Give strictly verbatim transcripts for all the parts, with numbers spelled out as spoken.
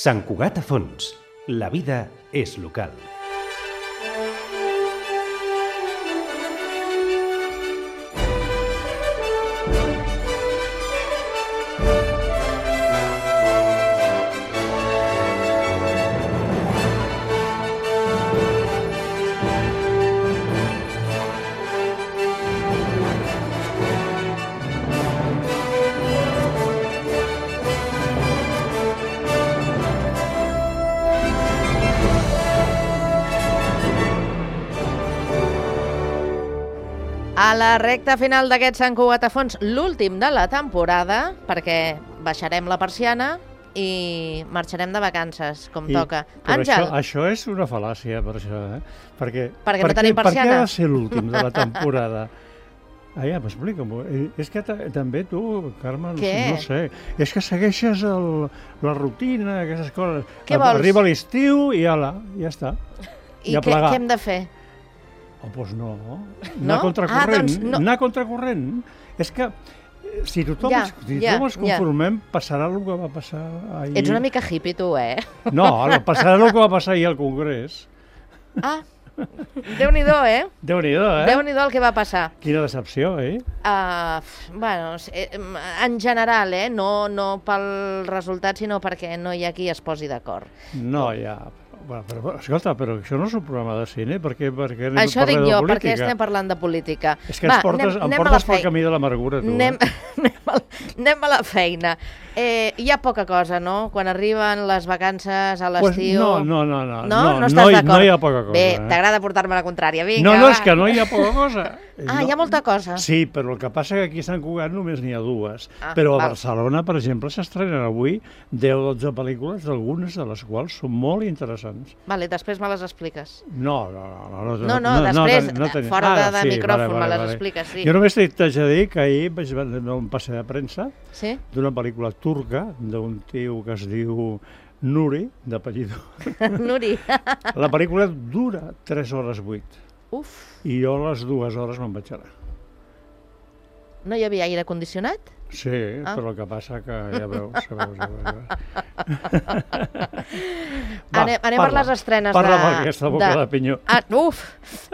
Sant Cugat a fons. La vida és local. A la recta final d'aquest Sant Cugat a fons, l'últim de la temporada, perquè baixarem la persiana i marxarem de vacances, com I, toca. Àngel. Això, això és una fal·làcia, per això, eh? Perquè, perquè no tenim persiana. Per què ha de ser l'últim de la temporada? Ah, ja, m'explica-m'ho. És que també tu, Carme, no, no sé, és que segueixes el, la rutina, aquestes coses. Què vols? Arriba l'estiu i ala, ja està. I què, què hem de fer? Oh, doncs no, anar no? contracorrent, ah, doncs no. anar contracorrent. És que si tothom, ja, si ja, tothom es conformem, ja. passarà el que va passar ahir. Ets una mica hippie, tu, eh? No, passarà el que va passar ahir al Congrés. Ah, Déu-n'hi-do, eh? Déu-n'hi-do, eh? Déu-n'hi-do el que va passar. Quina decepció, eh? Uh, bueno, en general, eh? No, no pel resultat, sinó perquè no hi ha qui es posi d'acord. No, ja... Bueno, però, escolta, però això no és un programa de cine, perquè, perquè anem això a parlar dic de jo, política. perquè estem parlant de política. És que Va, ens portes, anem, em anem portes pel camí de l'amargura, tu. Anem, eh? anem, a, anem a la feina. Eh, hi ha poca cosa, no? Quan arriben les vacances a l'estiu... Pues no, no, no, no. No, no, no estàs no, d'acord? No hi ha poca cosa. Bé, eh? t'agrada portar-me la contrària. Vinga, no, no, va. És que no hi ha poca cosa. Ah, no, hi ha molta cosa. Sí, però el que passa que aquí a Sant Cugat només n'hi ha dues. Ah, però a val. Barcelona, per exemple, s'estrenen avui deu o dotze pel·lícules, algunes de les quals són molt interessants. Vale, després me les expliques. No, no, no. No, no, no, no després, no, no fora de, de ah, sí, micròfon, vale, vale, me les vale. expliques, sí. Jo només t'haig de dir que ahir vaig veure un passeig de premsa sí? d'una pel·lícula turca d'un tio que es diu Nuri, d'apellido. Nuri. La pel·lícula dura tres hores vuit. Uf. I jo a les dues hores me'n vaig anar. No hi havia aire condicionat? Sí, ah. però el que passa que ja veus, ja veus, ja veus. Va, anem anem parla, per les estrenes parla de... Parla per aquesta boca de, de pinyó. Ah, uf!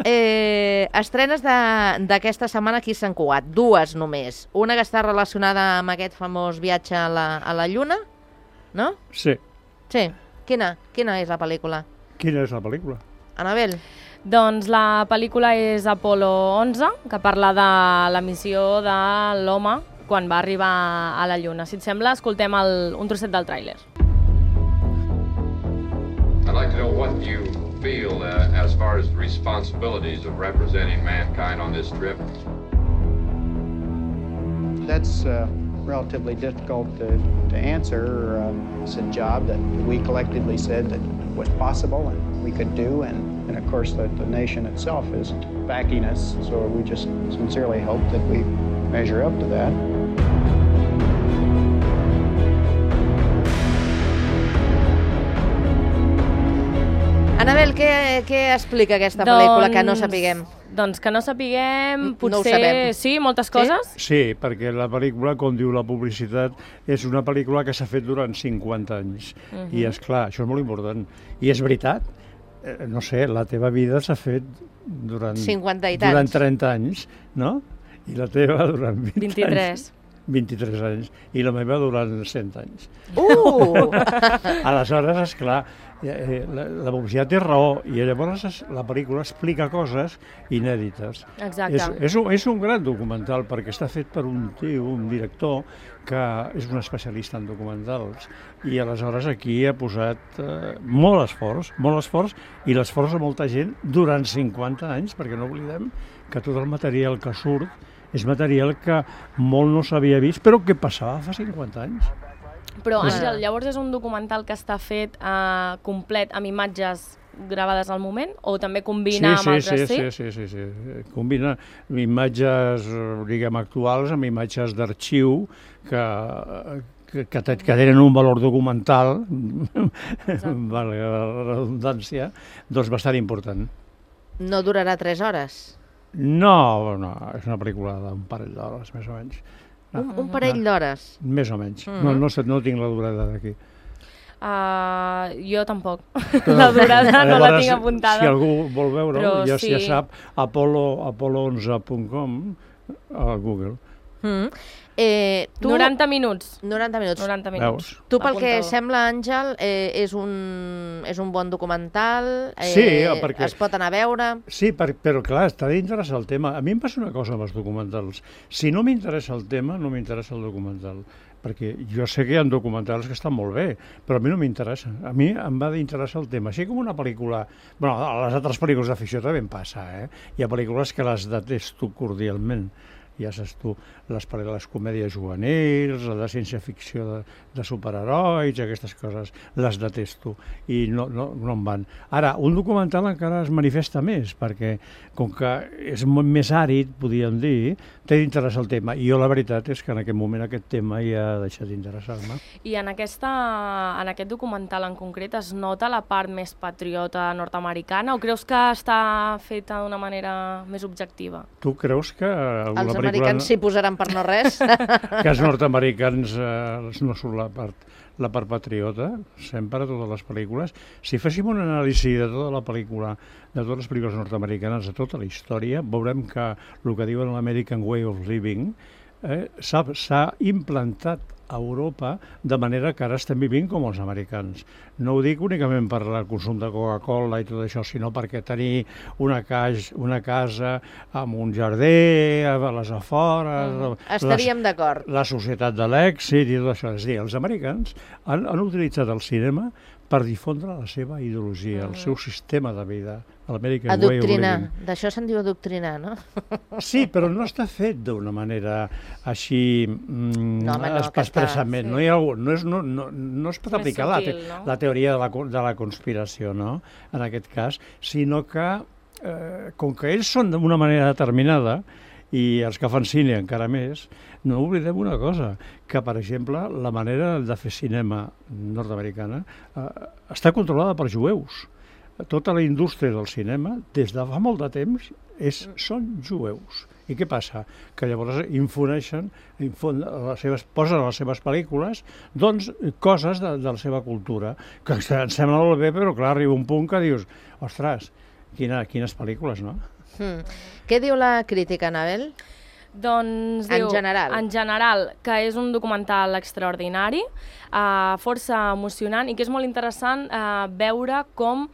Eh, estrenes d'aquesta setmana aquí a Sant Cugat, dues només. Una que està relacionada amb aquest famós viatge a la, a la Lluna, no? Sí. Sí. Quina? Quina és la pel·lícula? Quina és la pel·lícula? Anabel? Doncs la pel·lícula és Apolo onze, que parla de la missió de l'home quan va arribar a la Lluna. Si et sembla, escoltem el, un trosset del tràiler. I'd like to know what you feel uh, as far as the responsibilities of representing mankind on this trip. That's uh, relatively difficult to, to answer. Uh, it's a job that we collectively said that was possible and we could do, and, and of course the, the nation itself is backing us, so we just sincerely hope that we measure up to that. Anabel, què, què explica aquesta doncs, pel·lícula que no sapiguem? Doncs que no sapiguem, potser... No ho sabem. Sí, moltes coses? Sí? Sí, perquè la pel·lícula, com diu la publicitat, és una pel·lícula que s'ha fet durant cinquanta anys. Uh -huh. I, és clar, això és molt important. I és veritat, eh, no sé, la teva vida s'ha fet durant... cinquanta i tants. Durant trenta anys, no? I la teva durant vint vint-i-tres. anys. vint-i-tres anys. I la meva durant cent anys. Uh! Aleshores, esclar, la, la publicitat té raó i llavors la pel·lícula explica coses inèdites. Exacte. És, és, un, és un gran documental perquè està fet per un tio, un director, que és un especialista en documentals i aleshores aquí ha posat eh, molt esforç, molt esforç i l'esforç de molta gent durant cinquanta anys, perquè no oblidem que tot el material que surt és material que molt no s'havia vist, però que passava fa cinquanta anys. Però, Àngel, llavors és un documental que està fet eh, complet amb imatges gravades al moment o també combina sí, amb altres? Sí, sí, sí, sí, sí, sí. Combina imatges, diguem, actuals amb imatges d'arxiu que, que, que, que tenen un valor documental, vale, la redundància, doncs bastant important. No durarà tres hores? No, no, és una pel·lícula d'un parell d'hores, més o menys. No, un, un parell no, d'hores? Més o menys. Mm-hmm. No, no, no tinc la durada d'aquí. Uh, jo tampoc. La durada no la tinc apuntada. Si algú vol veure-ho, ja, sí. ja sap, apollo onze punt com a Google. Mm. Eh, tu... noranta minuts. noranta minuts. noranta minuts. Veus? Tu, pel que Apunta-ho. sembla, Àngel, eh, és, un, és un bon documental, eh, Sí, perquè- es pot anar a veure... Sí, per, però clar, t'ha d'interessar el tema. A mi em passa una cosa amb els documentals. Si no m'interessa el tema, no m'interessa el documental. Perquè jo sé que hi ha documentals que estan molt bé, però a mi no m'interessa. A mi em va d'interessar el tema. Així com una pel·lícula... Bueno, a les altres pel·lícules de ficció també em passa, eh? Hi ha pel·lícules que les detesto cordialment. Ja saps tu, les, les comèdies juvenils, la de ciència-ficció de, de superherois, aquestes coses, les detesto i no, no, no em van. Ara, un documental encara es manifesta més, perquè com que és molt més àrid, podríem dir, té d'interessar el tema. I jo la veritat és que en aquest moment aquest tema ja ha deixat d'interessar-me. I en, aquesta, en aquest documental en concret es nota la part més patriota nord-americana o creus que està feta d'una manera més objectiva? Tu creus que alguna Els pel·lícula... americans s'hi posaran per no res. que els nord-americans eh, no són la part, la part patriota, sempre a totes les pel·lícules. Si féssim un anàlisi de tota la pel·lícula, de totes les pel·lícules nord-americanes, de tota la història, veurem que el que diuen l'American Way of Living eh, s'ha implantat a Europa, de manera que ara estem vivint com els americans. No ho dic únicament per el consum de Coca-Cola i tot això, sinó perquè tenir una, cas, una casa amb un jardí, a les afores... Mm. Estaríem d'acord. La societat de l'èxit i tot això. És a dir, els americans han, han utilitzat el cinema per difondre la seva ideologia, mm. el seu sistema de vida, l'American Way of Adoctrinar. Living. D'això se'n diu adoctrinar, no? Sí, però no està fet d'una manera així mm, No, home, no, es- que expressament. està- No, hi ha, no, és, no, no, no es pot Més aplicar la, sutil, te, no? la teoria de la, co- de la conspiració, no?, en aquest cas, sinó que, eh, com que ells són d'una manera determinada, i els que fan cine encara més, no oblidem una cosa, que, per exemple, la manera de fer cinema nord-americana eh, està controlada per jueus. Tota la indústria del cinema, des de fa molt de temps, és, són jueus. I què passa? Que llavors infoneixen, infon, les seves, posen a les seves pel·lícules doncs, coses de, de la seva cultura, que em sembla molt bé, però clar, arriba un punt que dius, ostres, quina, quines pel·lícules, no? Mm. Què diu la crítica, Anabel? Doncs En diu, general. en general, que és un documental extraordinari, eh, força emocionant i que és molt interessant eh, veure com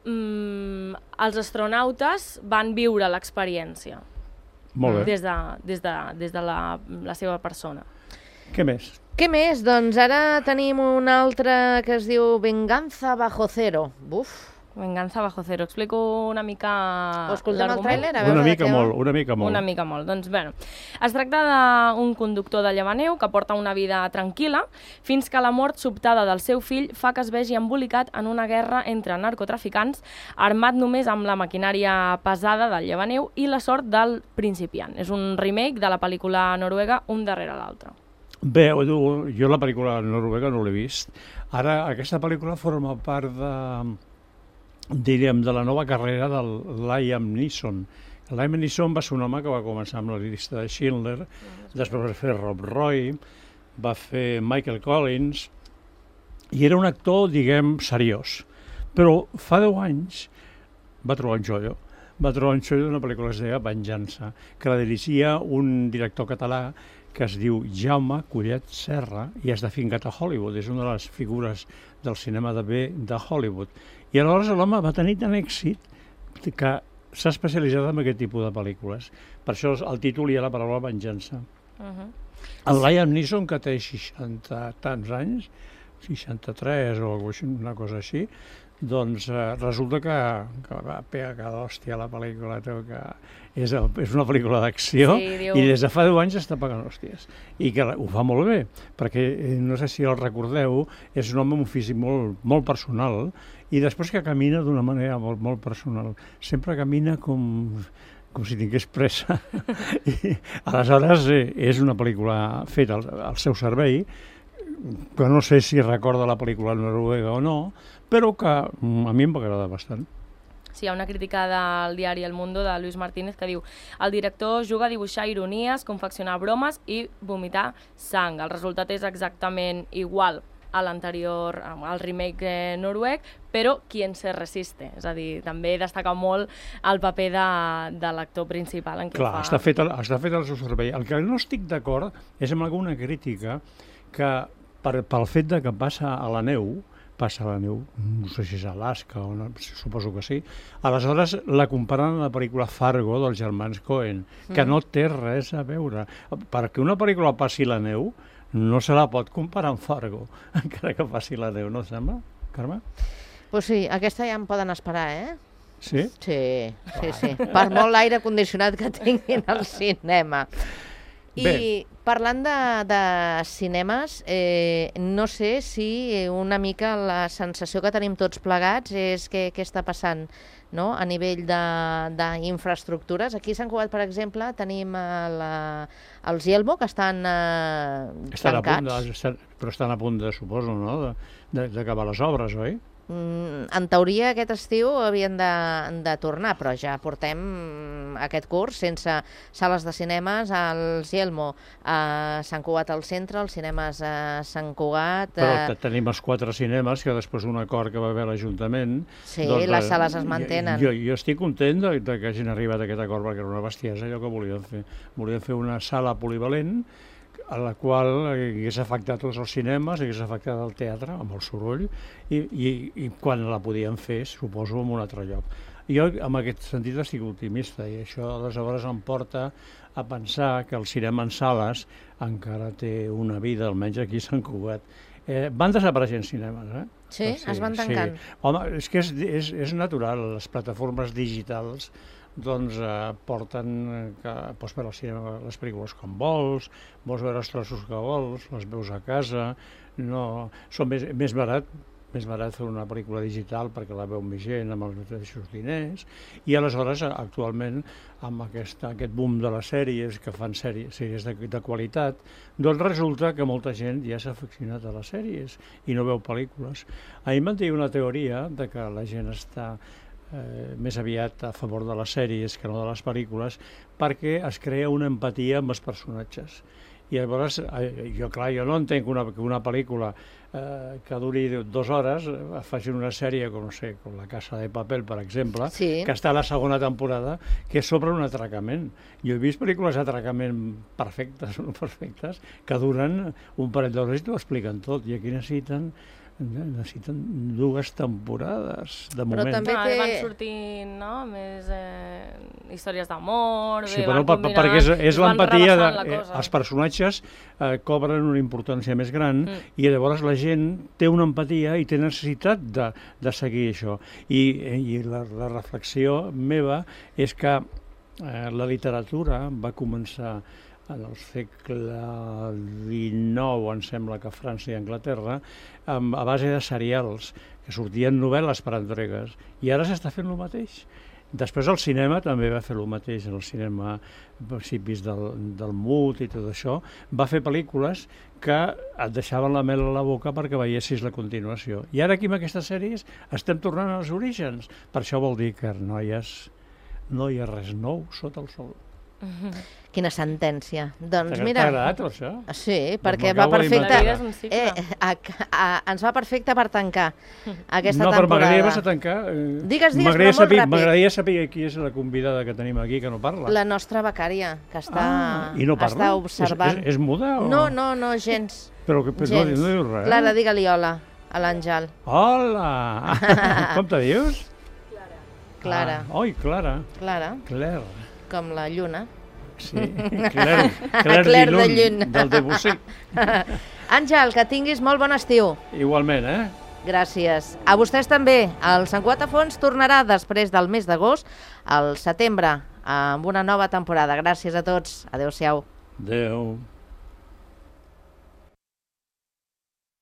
mm, els astronautes van viure l'experiència Molt bé. des de, des de, des de la, la seva persona. Què més? Què més? Doncs ara tenim un altre que es diu Venganza bajo cero. Buf. Venganza bajo cero. Explico una mica O escoltem el l'argument? tràiler, a veure Una de mica què va. molt, una mica molt. Una mica molt. Doncs, bueno, es tracta d'un conductor de llevaneu que porta una vida tranquil·la fins que la mort sobtada del seu fill fa que es vegi embolicat en una guerra entre narcotraficants, armat només amb la maquinària pesada del llevaneu i la sort del principiant. És un remake de la pel·lícula noruega Un darrere l'altre. Bé, jo la pel·lícula noruega no l'he vist. Ara, aquesta pel·lícula forma part de, diríem, de la nova carrera del Liam Neeson. Liam Neeson va ser un home que va començar amb la llista de Schindler, després va fer Rob Roy, va fer Michael Collins, i era un actor, diguem, seriós. Però fa deu anys va trobar un xollo. Va trobar un xollo d'una pel·lícula que es deia Venjança, que la dirigia un director català que es diu Jaume Collet Serra i és de fincat a Hollywood, és una de les figures del cinema de bé de Hollywood. I aleshores l'home va tenir tant èxit que s'ha especialitzat en aquest tipus de pel·lícules. Per això el títol hi ha la paraula venjança. Uh -huh. El Liam Neeson, que té seixanta tants anys, seixanta-tres o una cosa així, doncs eh, resulta que, que va pegar cada hòstia a la pel·lícula, que és, el, és una pel·lícula d'acció Sí, diu- i des de fa deu anys està pagant hòsties. I que ho fa molt bé, perquè eh, no sé si el recordeu, és un home amb un físic molt, molt personal i després que camina d'una manera molt, molt personal. Sempre camina com, com si tingués pressa. I, aleshores, eh, és una pel·lícula feta al, al seu servei, que no sé si recorda la pel·lícula noruega o no, però que mm, a mi em va agradar bastant. Sí, hi ha una crítica del diari El Mundo de Luis Martínez que diu: el director juga a dibuixar ironies, confeccionar bromes i vomitar sang. El resultat és exactament igual a l'anterior, al remake eh, noruec, però Quien se resiste, és a dir, també destaca molt el paper de, de l'actor principal en què Clar, fa... està fet, el, està fet el seu servei. El que no estic d'acord és amb alguna crítica que per, pel fet de que passa a la neu, passa a la neu, no sé si és a Alaska o no, suposo que sí, aleshores la comparen amb la pel·lícula Fargo dels germans Coen, que mm. no té res a veure. Perquè una pel·lícula passi la neu no se la pot comparar amb Fargo, encara que passi la neu, no sembla, Carme? Pues sí, aquesta ja em poden esperar, eh? Sí? Sí, sí, sí. Per molt l'aire condicionat que tinguin al cinema. I Bé. parlant de, de cinemes, eh, no sé si una mica la sensació que tenim tots plegats és que què està passant, no?, a nivell d'infraestructures. Aquí a Sant Cugat, per exemple, tenim la, els Yelmo, que estan eh, estan tancats. A punt de, estan, però estan a punt de, suposo, no?, d'acabar les obres, oi? En teoria aquest estiu havien de, de tornar, però ja portem aquest curs sense sales de cinemes als Yelmo, a Sant Cugat al centre, els cinemes a Sant Cugat... Però tenim els quatre cinemes, que després d'un acord que va haver l'Ajuntament... Sí, doncs, les sales es mantenen. Jo, jo estic content de, de que hagin arribat a aquest acord, perquè era una bestiesa allò que volien fer. Volien fer una sala polivalent a la qual hagués afectat tots els cinemes, hagués afectat el teatre, amb el soroll, i, i, i quan la podien fer, suposo, en un altre lloc. Jo, en aquest sentit, estic optimista, i això, aleshores, em porta a pensar que el cinema en sales encara té una vida, almenys aquí a Sant Cugat. Eh, van desapareixent cinemes, eh? Sí, sí, es van tancant. Sí. Home, és que és, és, és natural, les plataformes digitals doncs eh, porten que pots veure al cinema les pel·lícules com vols, vols veure els trossos que vols, les veus a casa, no, són més, més barat, més barat fer una pel·lícula digital perquè la veu més gent amb els mateixos diners, i aleshores actualment amb aquest, aquest boom de les sèries que fan sèries, sèries de, de qualitat, doncs resulta que molta gent ja s'ha aficionat a les sèries i no veu pel·lícules. Ahir em van dir una teoria de que la gent està Eh, més aviat a favor de les sèries que no de les pel·lícules, perquè es crea una empatia amb els personatges. I llavors, eh, jo clar, jo no entenc que una, que una pel·lícula eh, que duri dues hores eh, facin una sèrie, com no sé, com La Casa de Papel, per exemple, sí, que està a la segona temporada, que és sobre un atracament. Jo he vist pel·lícules d'atracament perfectes o no perfectes, que duren un parell d'hores i t'ho expliquen tot, i aquí necessiten necessiten dues temporades, de moment. Però també no, té... van sortint, no?, més eh, històries d'amor... Sí, però per, perquè és, és l'empatia, de, eh, els personatges eh, cobren una importància més gran mm. i llavors la gent té una empatia i té necessitat de, de seguir això. I, i la, la reflexió meva és que eh, la literatura va començar en el segle dinou, em sembla que a França i Anglaterra, a base de serials, que sortien novel·les per entregues, i ara s'està fent el mateix. Després el cinema també va fer el mateix, el cinema a principis del, del mut i tot això, va fer pel·lícules que et deixaven la mel a la boca perquè veiessis la continuació. I ara aquí amb aquestes sèries estem tornant als orígens. Per això vol dir que, noies, no hi ha res nou sota el sol. Mm-hmm. Quina sentència. Doncs mira... T'ha agradat, això? Sí, perquè va perfecte... Eh, a, a, ens va perfecte per tancar aquesta no, temporada. No, però m'agradaria més a tancar... Eh, digues, digues, però molt saber, ràpid. M'agradaria saber qui és la convidada que tenim aquí, que no parla. La nostra becària, que està, ah, i no parla? està observant. És, és, és muda? O... No, no, no, gens. Però que, gens. No, no diu res. Clara, digue-li hola a l'Àngel. Hola! Com te dius? Clara. Clara. Ah, oi, Clara. Clara. Claire. Com la lluna. Sí, Claire, Claire, Claire de Lluna, del Debussy. Àngel, que tinguis molt bon estiu. Igualment, eh? Gràcies. A vostès també. El Sant Cugat a Fons tornarà després del mes d'agost, al setembre, amb una nova temporada. Gràcies a tots. Adéu-siau. Adéu.